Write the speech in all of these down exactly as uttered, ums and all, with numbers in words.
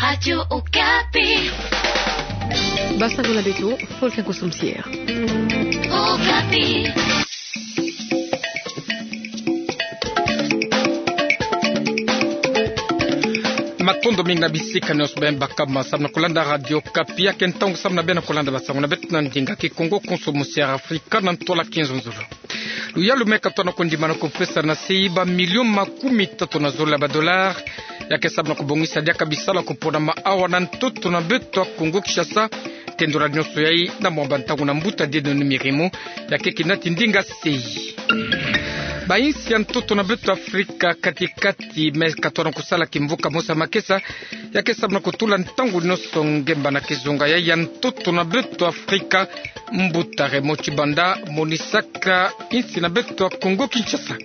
Radio Okapi. Basango na beto, Faustin Kosomsier. Okapi. Matondo mingi na bisika nyonso beno baka ma samu na kulanda Radio Okapi. Ya ke ntangu samu na beno kulanda basango na beto na ndinga Kikongo, Konso Mosier Afrika na ntwala kinzonzolo. Luyalu me katona kondimana kupesa na sei bamilio makumi tatu na zole ya badolare, ya ke samu na kubongisa diaka bisalu ya kuponama awa na ntoto na beto ya Kongo Kinshasa. Tendula nyonso yai na mwa bantangu na mbuta dedeno ni mirimu, ya ke kina ti ndinga sei. Bainsi ya ntoto na beto Afrika katikati me katona kusala kimvuka mosi ya makesa, ya ke samu na kutula ntangu nyonso ngemba na kizunga yai ya ntoto na beto Afrika. Mbuta Raymond Tshibanda monisaka insi na beto ya Kongo Kinshasa.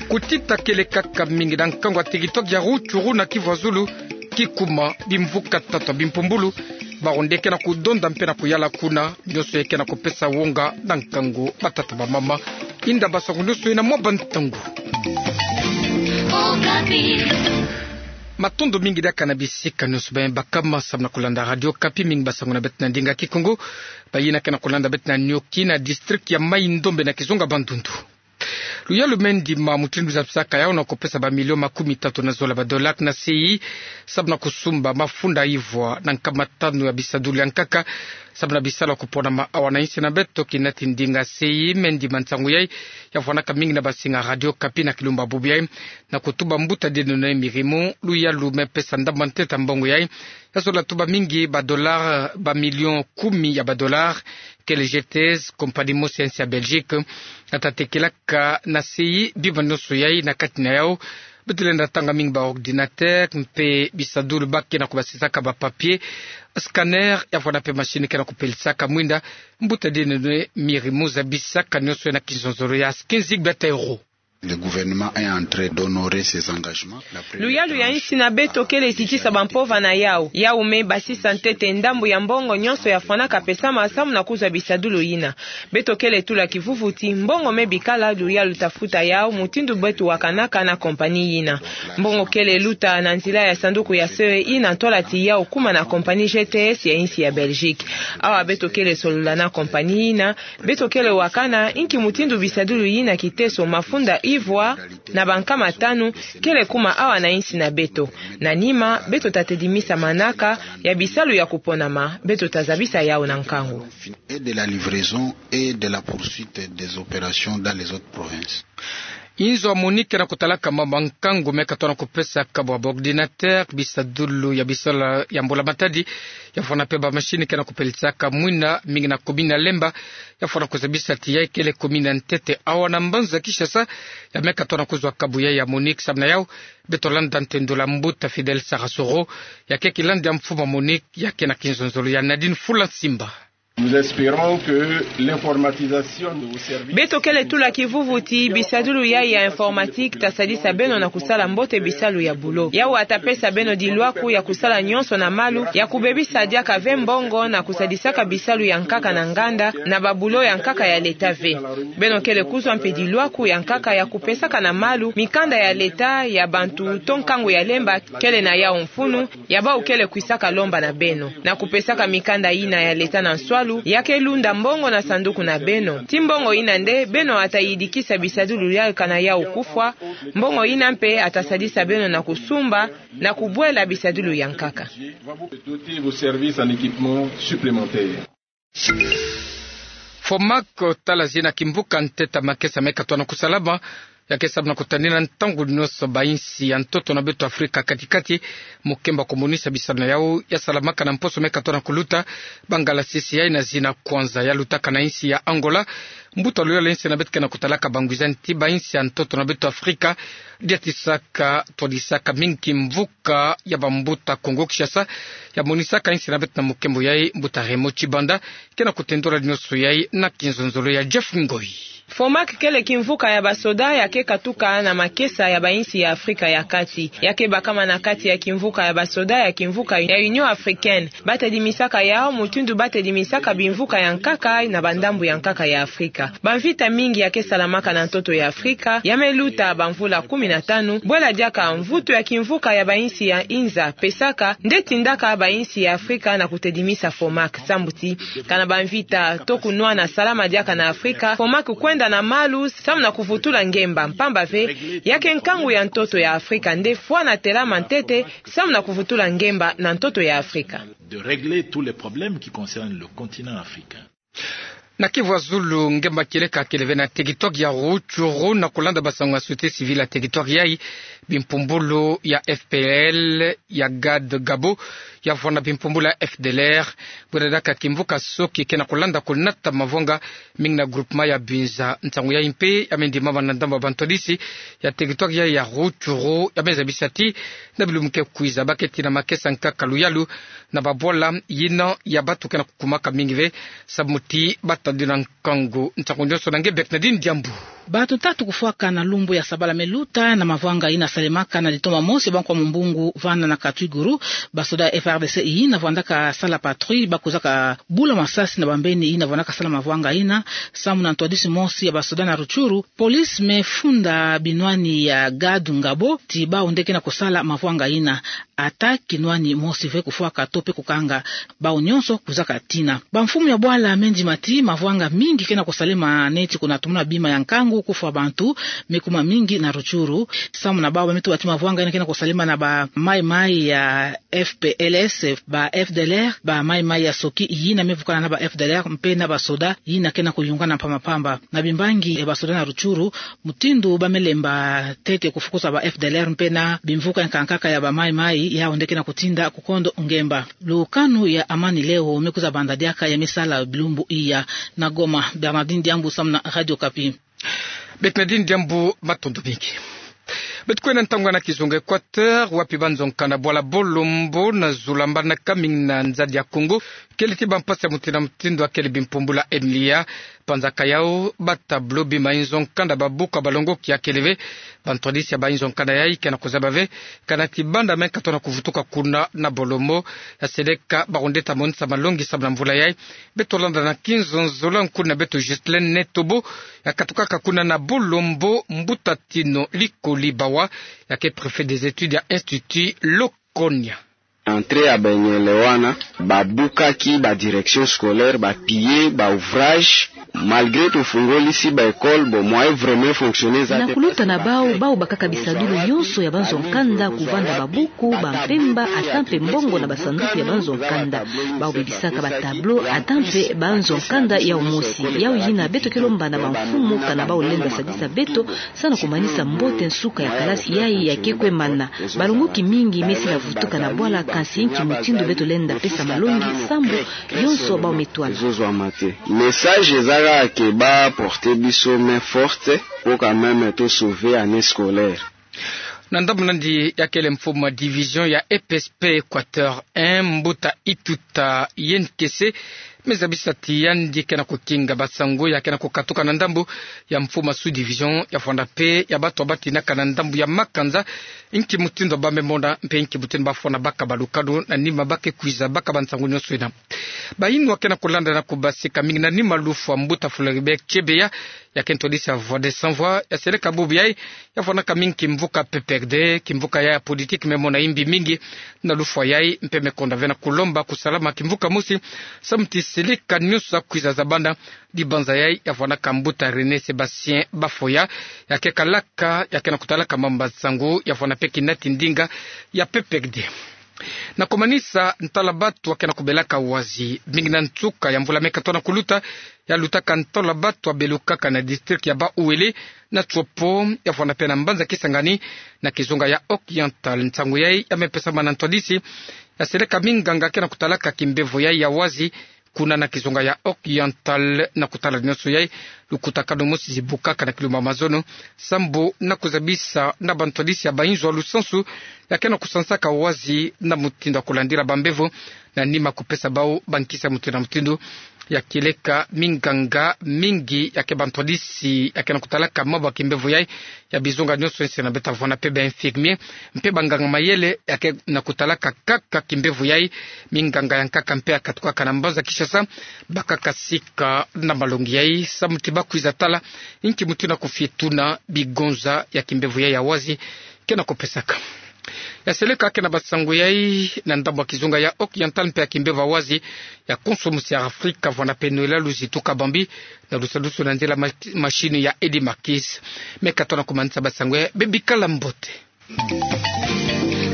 Kutita kele kaka mingi na nkangu ya territoire ya Rutshuru na Kivu ya Zulu, kikuma bimvuka tatu ya bimpumbulu. Bawu nde ke na kudonda mpe na kuyala kuna, nyonso yai ke na kupesa wonga na nkangu, batata bamama. Inda basango nyonso yai na mwa bantangu. Matondo mingi diaka na bisika nyonso beno baka ma samu na kulanda Radio Okapi. Mingi basango na beto na ndinga Kikongo. Bayina ke na kulanda beto na nioki na district ya Mai-Ndombe na kizunga Bandundu. Luyalu me ndima mutindu zabisaka yau na kupesa bamilio makumi tatu na zole ya badolare na sei samu na kusumba mafunda ivwa na nkama tanu ya bisadulu ya nkaka, samu na bisalu ya kuponama awa na insi na beto. Kina ti ndinga sei me ndima nsangu yai ya vwanaka mingi na basinga Radio Okapi na kilumbu bubu yai, na kutuba mbuta dedeno ni mirimu luyalu me pesa ndamba ntete ya mbongo yai. Ya zola tuba mingi badolare, bamilio kumi ya badolare, kele G T S, compagnie mosi ya insi ya Belgique, ya ta tekelaka na sei bima nyonso yai na kati na yau. Beto lenda tanga mingi baordinateur mpe bisadulu ba ke na kubasisaka, bapapier, scanner, ya vwana mpe machine ke na kupelisaka mwinda. Mbuta dedeno ni mirimu zabisaka nyonso yai na kinzonzolo ya quinze mille euros. Le gouvernement est en train d'honorer ses engagements. Luyalu ya insi na beto kele zitisa bampova na yau. Yau me basisa ntete ndambu ya mbongo nyonso ya fwanaka pesama samu na kuzwa bisadulu yina. Beto kele tula kivuvu ti mbongo me bikala, luyalu ta futa yau mutindu beto wakanaka na compagnie yina. Mbongo kele luta na nzila ya sanduku ya C E I na ntwala ti yau kuma na compagnie G T S ya insi ya Belgique. Awa beto kele solola na compagnie yina, beto kele wakana inki mutindu bisadulu yina, kiteso, mafunda ivwa na bankama tanu, kele kuma awa na insi na beto. Na nima, beto ta tedimisa manaka ya bisalu ya kuponama, beto ta zabisa yau na nkangu. Et de la livraison et de la poursuite des opérations dans les autres provinces. Inzo ya MONUC ke na kutalaka mama nkangu me katona kupesa kabu ya baordinateur, bisadulu ya bisalu ya mbula matadi, ya vwana mpe bamachine ke na kupelisaka mwinda, mingi na commune ya Lemba. Ya vwana kuzabisa ti yai kele commune ya ntete awa na mbanza Kinshasa, ya me katona kuzwa kabu yai ya MONUC. Samu na yau, beto landa ntendolo ya mbuta Fidèle Sarasoro, ya ke kilandi ya mfumu ya MONUC, ya ke na kinzonzolo ya Nadine Fulansimba. Nous espérons que l'informatisation de vos services. Beto kele tula kivuvu ti bisadulu yai ya informatique ta sadisa beno na kusala mbote bisalu ya bulo. Yau ta pesa beno dilwaku ya kusala nyonso na malu, ya kubebisa diaka ve mbongo na kusadisaka bisalu ya nkaka na nganda, na babulo ya nkaka ya leta ve. Beno kele kuzwa mpe dilwaku ya nkaka ya kupesaka na malu mikanda ya leta ya bantu to nkangu ya Lemba kele na yau mfunu, ya bawu kele kwisaka lomba na beno. Na kupesaka mikanda yina ya leta na nswalu, ya ke lunda mbongo na sanduku na beno. Ti mbongo yina nde beno ta yidikisa bisadulu yai kana yau kufwa, mbongo yina mpe ta sadisa beno na kusumba, na kubwela bisadulu ya nkaka. Doter vos services en équipements supplémentaires. Fomak, tala zina kimvuka ntete ya makesa me katona kusalama, ya ke samu na kutanina ntangu nyonso bainsi ya ntoto na beto Afrika katikati, mokemba kumonisa bisalu na yau ya salamaka na mposo me katona kuluta, bangalasisi yai na zina kwanza ya lutaka na insi ya Angola. Mbuta luyolo ya insi na beto ke na kutalaka bangwizani ti bainsi ya ntoto na beto Afrika, diatisaka, twadisaka mingi kimvuka ya bambuta Kongo Kinshasa, ya monisaka insi na beto na mokembo yai. Mbuta Raymond Tshibanda ke na kutendula nyonso yai na kinzonzolo ya Jeff Ngoi. FOMAC kele kimvuka ya basoda ya ke katuka na makesa ya bainsi ya Afrika ya kati. Ya ke bakama na kati ya kimvuka ya basoda ya kimvuka ya Union Africaine. Ba tedimisaka yau mutindu ba tedimisaka bimvuka ya nkaka na bandambu ya nkaka ya Afrika. Bamvita mingi ya ke salamaka na ntoto ya Afrika, ya me luta bamvula kumi na tanu, bwela diaka mvutu ya kimvuka ya bainsi ya inza pesaka, nde tindaka bainsi ya Afrika na kutedimisa FOMAC. Sambu ti, kana bamvita to kunwana salama diaka na Afrika, FOMAC kwenda na malu, samu na kuvutula ngemba, mpamba ve, ya ke nkangu ya ntoto ya Afrika, nde fwana telama ntete, samu na kuvutula ngemba na ntoto ya Afrika. De régler tous les problèmes qui concernent le continent africain. Na Kivu ya zulu, ngemba kieleka kele ve na territoire ya Rutshuru, na kulanda basango ya société civile ya territoire yayi, bimpumbulu ya F P L, ya GAD Ngabo, ya vwanda bimpumbulu ya F D L R, bwera diaka kimvuka Soki ke na kulanda kunata mavwanga mingi na groupement ya Binza. Nsangu yayi mpe ya me ndimama na ndambu ya bantwadisi ya territoire yayi ya Rutshuru, ya me zabisa ti na bilumbu ke kwiza ba ke tina makesa nkaka luyalu na babwala yina ya batu ke na kukumaka mingi ve, samu ti ba tadila nkangu. Nsangu nionso na nge Bernadine Diambu. Batu tatu kufwaka na lumbu ya sabala me luta na mavwanga yina salemaka na litoma mosi ya bankwa mumbungu vana na Katwiguru. Basoda ya F R D C yina vwandaka sala patrouille ba kwizaka bula masasi na bambeni yina vwandaka sala mavwanga yina, samu na ntwadisi mosi ya basoda na Rutshuru, police me funda binwani ya GAD Ngabo ti bau nde ke na kusala mavwanga yina. Ata kinwani mosi ve kufwaka to mpe kukanga, bau nionso kwizaka tina. Bamfumu ya bwala me ndima ti mavwanga mingi ke na kusalema neti kuna tumuna bima ya nkangu, kufwa bantu me kuma mingi na Rutshuru. Samu na bau ba me tuba ti mavwanga yina ke na kusalema na ba maï-maï ya F P L S, ba F D L R, ba maï-maï ya Soki yina me vukana na ba F D L R mpe na basoda yina ke na kuyungana mpamba mpamba. Na bimbangi ya basoda na Rutshuru, mutindu ba me lemba ntete kufukusa ba F D L R mpe na bimvuka ya nkankaka ya ba maï-maï, yau nde ke na kutinda kukondo ngemba. Lukanu ya Amani Leo me kwiza banda diaka ya me sala bilumbu iya. Na Goma, Bernadine Diambu samu na Radio Okapi. Bernadine Diambu, matondo mingi. Beto kwenda ntangu na kizunga Équateur, wapi banzo nkanda bwala Bolombo na zula mbanaka mingi na nzadi ya Congo kele ti bampasi ya mutindu na mutindu ya kele bimpumbulu ya M L I A. Panzaka yau ba tableau bima inzo nkanda babuka balongoki ya kele ve. Bantwadisi ya ba inzo nkanda yayi ke na kuzaba ve kana ti banda me nkatu na kuvutuka kuna na Bolombo, ya seleka ba kundeta monisa malongi samu na mvula yayi. Beto landa na kinzonzolo nkuna beto Ghislaine Netobo, ya katukaka kuna na Bolombo, mbuta Tino Likoli Bawa, ya ke préfet des études ya Institut Lokonia. Entrée ya banyele wana, babukaki ba direction scolaire, ba piller ba ouvrage, malgré tofungolisi ba école, bon, moyen vraiment fonctionner eza te. Na kuluta na bau, bau bakaka bisadulu yonso ya banzo nkanda, kuvanda babuku, bampemba, ata mpe mbongo na basanduku ya banzo nkanda. Bau bebisaka ba tableau, ata mpe banzo nkanda yau mosi. Yau yina beto ke lomba na bamfumu kana bau lenda sadisa beto, samu na kumanisa mbote nsuka ya kalasi yayi ya ke kwe mana. Balongoki mingi me sila vutuka na bwala, kansi nki mutindu beto lenda pesa malongi, sambu yonso bau me twala. Ezozwama te. Message eza kaka ke ba porter biso main forte, po quand même to sauver année scolaire. Na ndambu na yandi ya kele mfumu ya division ya E P S P Équateur un, mbuta Ituta Yenkese, me zabisa ti yandi ke na kukinga basango ya ke na kukatuka na ndambu ya mfumu ya sous-division ya vwanda mpe ya batu ya batinaka na ndambu ya makanza, nki mutindu ba me mona mpe nki mutindu ba fwana baka balukanu na nima ba ke kwiza baka bansango yonso yina. Bayinwa ke na kulanda na kubasika mingi na nima lufwa mbuta Floribert Chebeya, ya ke ntwadisi ya Voix des Sans Voix, ya seleka bubu yayi, ya vwanaka mingi kimvuka P P R D, kimvuka yayi ya politique me mona yimbi mingi na lufwa yayi, mpe me konda ve na kulomba kusalama kimvuka mosi, samu ti seleka yonso ya kwiza za banda. Dibanza yayi ya vwanaka mbuta René Sébastien Bafoya, ya ke kalaka, ya ke na kutalaka mambu ya nsangu, ya vwana mpe kinati ndinga ya P P R D. Na kumanisa, ntwala batu ya ke na kubelaka wazi, mingi na nsuka ya mvula me nkatu na kuluta, ya lutaka ntwala batu ya belukaka na district ya Bas-Uele, na Tshopo, ya vwana mpe na mbanza Kisangani, na kizunga ya Oriental. Nsangu yayi ya me pesama na ntwadisi ya seleka minganga ke na kutalaka kimbevo yayi ya wazi, kuna na kizunga ya Oriental. Na kutala yonso yayi, lukutakanu mosi zibukaka na kilumbu ya mazono, sambu na kuzabisa na bantwadisi ya bayinzo ya lusansu ya ke na kusansaka wazi na mutindu ya kulandila bambevo, na nima kupesa bau bankisi ya mutindu na mutindu. Ya kieleka minganga mingi ya ke bantwadisi ya ke na kutalaka mabo ya kimbevo yai, ya bizonga nionso ese na beta vwanda pe ba infirmier, mpe banganga-mayele ya ke na kutalaka kaka kimbevo yai. Minganga ya nkaka mpe ya katukaka na mbanza Kinshasa, bakaka sika na malongi yai, samu ti bakwiza tala inki mutindu na kufie tuna bigonza ya kimbevo yai ya wazi ke na kupesaka. Ya seleka ke na basango yai na ndambu ya kizunga ya Occidental mpe ya kimbevo ya wazi, ya konso musi ya Afrika vwanda pe Noëlla Luzitu Kabambi, na lusadusu na nzila ma-, machine ya Eddy Marquis. Meka tona kumanisa basango yai, bebikala mbote.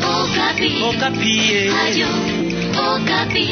Okapi. Okapi, eh. Radio Okapi.